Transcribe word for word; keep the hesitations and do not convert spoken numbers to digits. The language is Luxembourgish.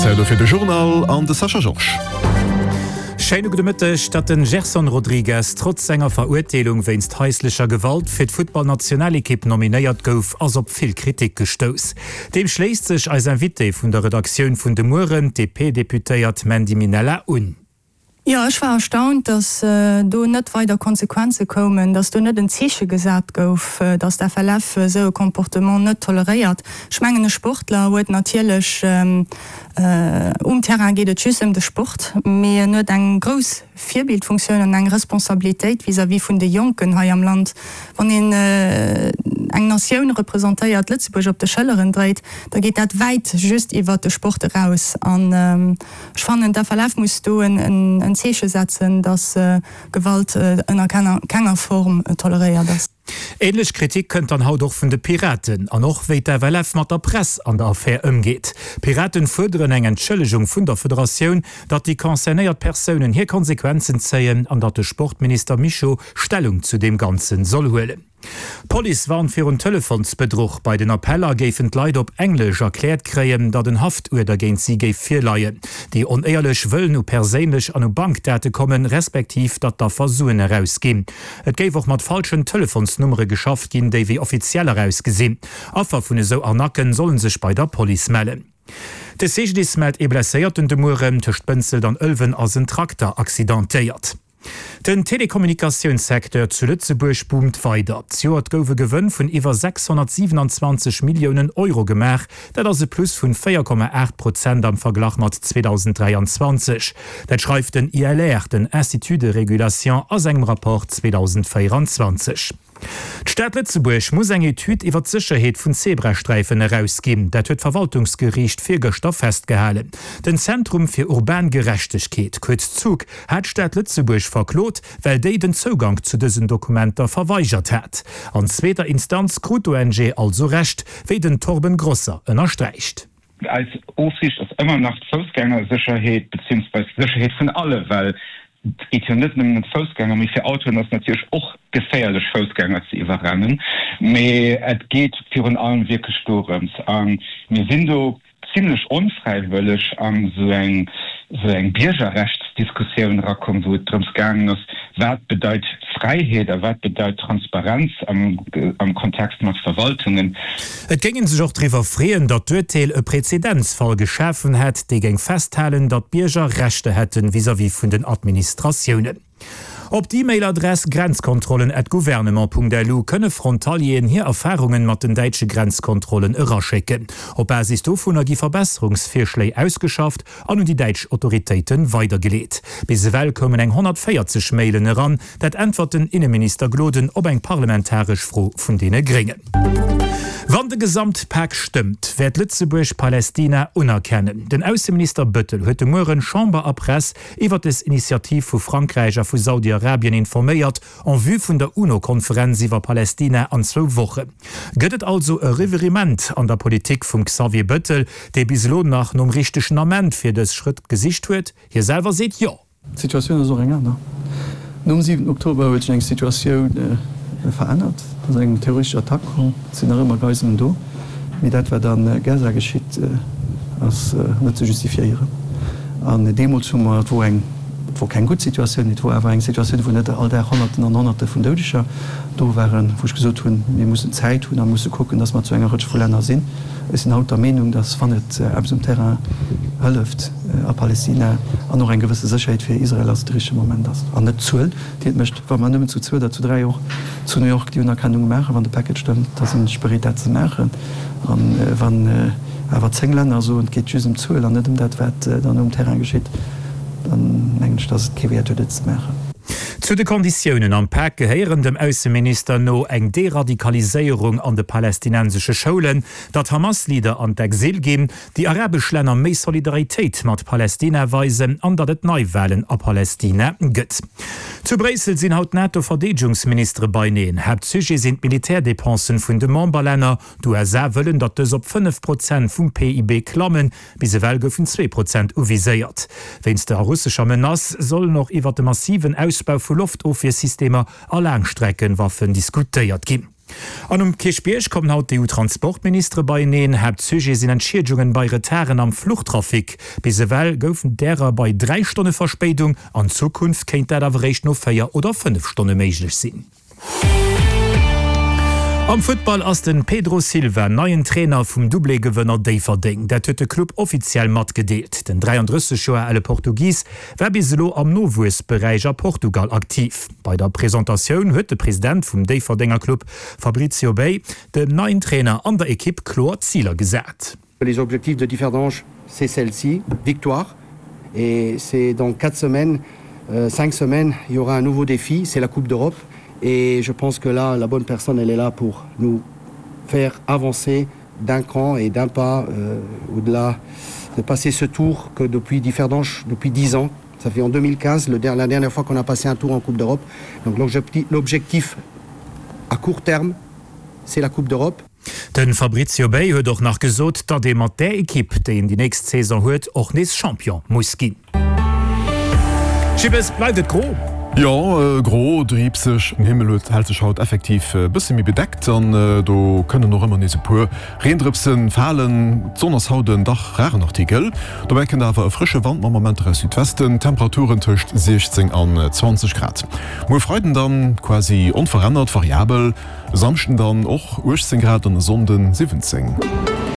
Zäit elo fir de Journal an de Sascha Georges. Schéine gudde Mëtteg. Datt den Gerson Rodrigues trotz senger Verurteelung wéinst haislecher Gewalt fir d'Futtballnationalekipp nominéiert gouf, ass op vill Kritik gestouss. Deem schléisst sech eis Invitée vun der Redaktioun vun De Mueren, d'DP-Deputéiert Mandy Minella un. Jo, ech war erstaunt, dass do net weider Konsequenze koumen, dass do net en Zeeche gesat gouf, dass d'FLF esou e Comportement net toleréiert. Ech mengen, e Sportler huet natierlech, um Terrain geet et just ëm de Sport, mee en huet eng grouss Virbildfunktioun an eng Responsabilitéit vis-à-vis vun de Jonken hei am Land. Wann een eng Natioun representéiert, Lëtzebuerg op de Schëlleren dréit, da geet dat wäit just iwwert de Sport eraus. An ech fannen, d'FLF muss do en Zeeche setzen, dass Gewalt ënner kenger Form toleréiert ass. Ähnlech Kritik kënnt dann haut och vun de Piraten. An och wéi d'FLF mat der Press an der Affär ëmgeet. D'Piraten fuerderen eng Entschëllegung vun der Federatioun, datt déi concernéiert Persounen hir Konsequenzen zéien an datt de Sportminister Mischo Stellung zu deem Ganzen soll huelen. D'Police warnt virun Telefonsbedruch. Bei den Appeller géifen d'Leit op Englesch erkläert kréien, datt en Haftuerder géint si géif virleien. Déi Onéierlech wëllen u perséinlech an u Bankdate kommen, respektiv datt d'Affer Suen erausginn. Et géif och mat falschen Telefonsnummere geschafft ginn, déi wéi offizieller ausgesinn. Affer vun esou Arnacken solle sech bei der Police mellen. De C G D I S mellt ee Blesséierten de Mueren. Tëscht Bënzelt an Ëlwen ass en Trakter accidentéiert. Den Telekommunikatiounssecteur zu Lëtzebuerg boomt weider. Zejoert gouf e Gewënn vun iwwer sechshonnertsiwenanzwanzeg Milliounen Euro gemaach. Dat ass e Plus vun véier Komma aacht Prozent am Verglach mat zweedausenddräianzwanzeg. Dat schreift den I L R, den Institut de régulation, a sengem Rapport zweedausendvéieranzwanzeg. D'Stad Lëtzebuerg muss eng Etüd iwwer d'Sécherheet vun Zebrasträifen erausginn. Dat huet d'Verwaltungsgeriicht virgëschter festgehalen. Den Zentrum fir urban Gerechtegkeet, kuerz ZUG, hat d'Stad Lëtzebuerg verklot, well déi den Zougank zu dësen Dokumenter verweigert hat. An zweeter Instanz krut d'O N G also Recht, wéi den Torben Grosser ënnersträicht. Eis Ofsiicht ass ëmmer nach d'Foussgängersécherheet beziehungsweise d'Sécherheet vun alle, well et geet jo net nëmmen ëm d'Foussgänger, mee fir Autoen ass natierlech och geféierlech Foussgänger ze iwwerrennen, mee et geet virun allem wierklech dorëms a mir sinn do zimlech onfräiwëlleg an esou eng esou eng Biergerrechtsdiskussioun erakomm, wou et drëms gaangen ass, wat bedeit Fräiheet a wat bedeit Transparenz am am Kontext mat Verwaltungen. Et géing ee sech och driwwer freeën, datt d'Urteel e Präzedenzfall geschafen hätt, dee géing festhalen, datt d'Bierger Rechter hätten vis-à-vis vun den Administratiounen. Op d'E-Mail-Adress grenzkontrollen at gouvernement punkt lu kënne Frontalieren hir Erfarungen mat den däitsche Grenzkontrollen eraschécken. Op Basis dovunner gi Verbesserungsvirschléi ausgeschafft an un déi däitsch Autoritéite weidergeleet. Bis ewell koumen eng honnertvéierzeg Mailen eran, dat äntwert den Inneminister Gloden op eng parlamentaresch Fro vun deene Gréngen. Wann de Gesamtpak stëmmt, wäert Lëtzebuerg Palästina unerkennen. Den Ausseminister Bëttel huet de Mueren Chamber a Press iwwer des Initiativ vu Frankräich a vu Saudi-Arabien informéiert, en vue vun der UNO-Konferenz iwwer Palästina an zwou Wochen. Gëtt et also e Revirement an der Politik vum Xavier Bëttel, dee bis elo nach nom richtegen Ament fir dës Schrëtt gesicht huet? Hie selwer seet Jo. D'Situatioun ass och eng aner. Nom siwenten Oktober huet sech eng Situatioun verännert. Et ass eng terroristesch Attack komm. Et sinn nach ëmmer Geiselen do. Mee dat, wat a Gaza geschitt, ass net ze justifiéieren. An deemools hu mer, et wor eng, et wor keng gutt Situatioun, mee et wor awer eng Situatioun, wou net all Dag Honnerten an Honnerte vun Doudeger do waren, wou ech gesot hunn, mir mussen Zäit hunn a musse kucken, datt mer zu enger Rëtsch vu Länner sinn. Ech sinn haut der Meenung, datt, wann et eppes um Terrain hëlleft a Palästina an och eng gewësse Sécherheet fir Israel ass, de richtege Moment ass an net d'Zuel, déi et mécht. Wa mer nëmmen zu zwou oder zu dräi och zu New York déi Unerkennung maachen, wann de Package stëmmt, da sinn ech bereet dat ze maachen. A wann awer zéng Länner soen, et geet just ëm d'Zuel an net ëm dat, wat dann um Terrain geschitt, dann mengen ech, datt et kee Wäert huet, et ze maachen. Zu de Konditiounen am Pak gehéieren dem Ausseminister no eng Deradikaliséierung an de palästinensesche Schoulen, datt Hamas-Leader an d'Exil ginn, déi arabesch Länner méi Solidaritéit mat Palästina weisen an datt et Neiwalen a Palästina gëtt. Zu Bréissel sinn haut d'NATO-Verdeedegungsministere beineen. Haaptsujet sinn d'Militärdepensen vun de Memberlänner. D'U S A wëllen, datt dës op fënnef Prozent vum P I B klammen. Bis ewell goufen zwee Prozent uviséiert. Wéinst der russescher Menace sollen och iwwer de massiven Ausbau vu Loftofwiersystemer a Laangstreckenwaffen diskutéiert ginn. An um Kierchbierg kommen haut d'EU-Transportministere beieneen. Haaptsujet sinn Entschiedegungen bei Retarden am Fluchtrafic. Bis ewell goufen därer bei dräi Stonne Verspéidung, an Zukunft kéint dat awer réischt no véier oder fënnef Stonne méiglech sinn. Am Futtball ass de Pedro Silva neien Trainer vum Doublé-Gewënner Déifferdeng. Dat huet de Club offiziell matgedeelt. Den dräianddrësseg Joer ale Portugis war bis elo am Nowuessberäich a Portugal aktiv. Bei der Presentatioun huet de President vum Déifferdenger Club Fabrizio Bei dem neien Trainer an der Ekipp kloer Ziler gesat. Les objectifs de Differdange, c'est celle-ci, victoire et c'est dans quatre semaines, cinq semaines, il y aura un nouveau défi, c'est la Coupe d'Europe et je pense que là la bonne personne elle est là pour nous faire avancer d'un cran et d'un pas euh, au-delà de passer ce tour que depuis Differdange depuis dix ans ça fait en deux mille quinze le la dernière fois qu'on a passé un tour en Coupe d'Europe donc l'objectif à court terme c'est la Coupe d'Europe. De Fabrizio Bei huet och nach gesot, datt ee mat där Ekipp, déi een déi nächst Saison huet, och nees Champion muss ginn. Jibbes, bleift et gro? Jo, gro, driibseg. Den Himmel huet hält sech haut effektiv e bësse méi bedeckt an do kënnen och ëmmer nees e puer Reendrëpse falen. D'Sonn ass haut en dach raren Artikel. Dobäi kënnt awer e frësche Wand mam Momenter aus Südwesten, Temperaturen tëscht siechzéng an zwanzeg Grad. Muer Freiden dann quasi onverännert variabel, e Samschden dann och uechtzéng Grad an e Sonnden siwwenzéng.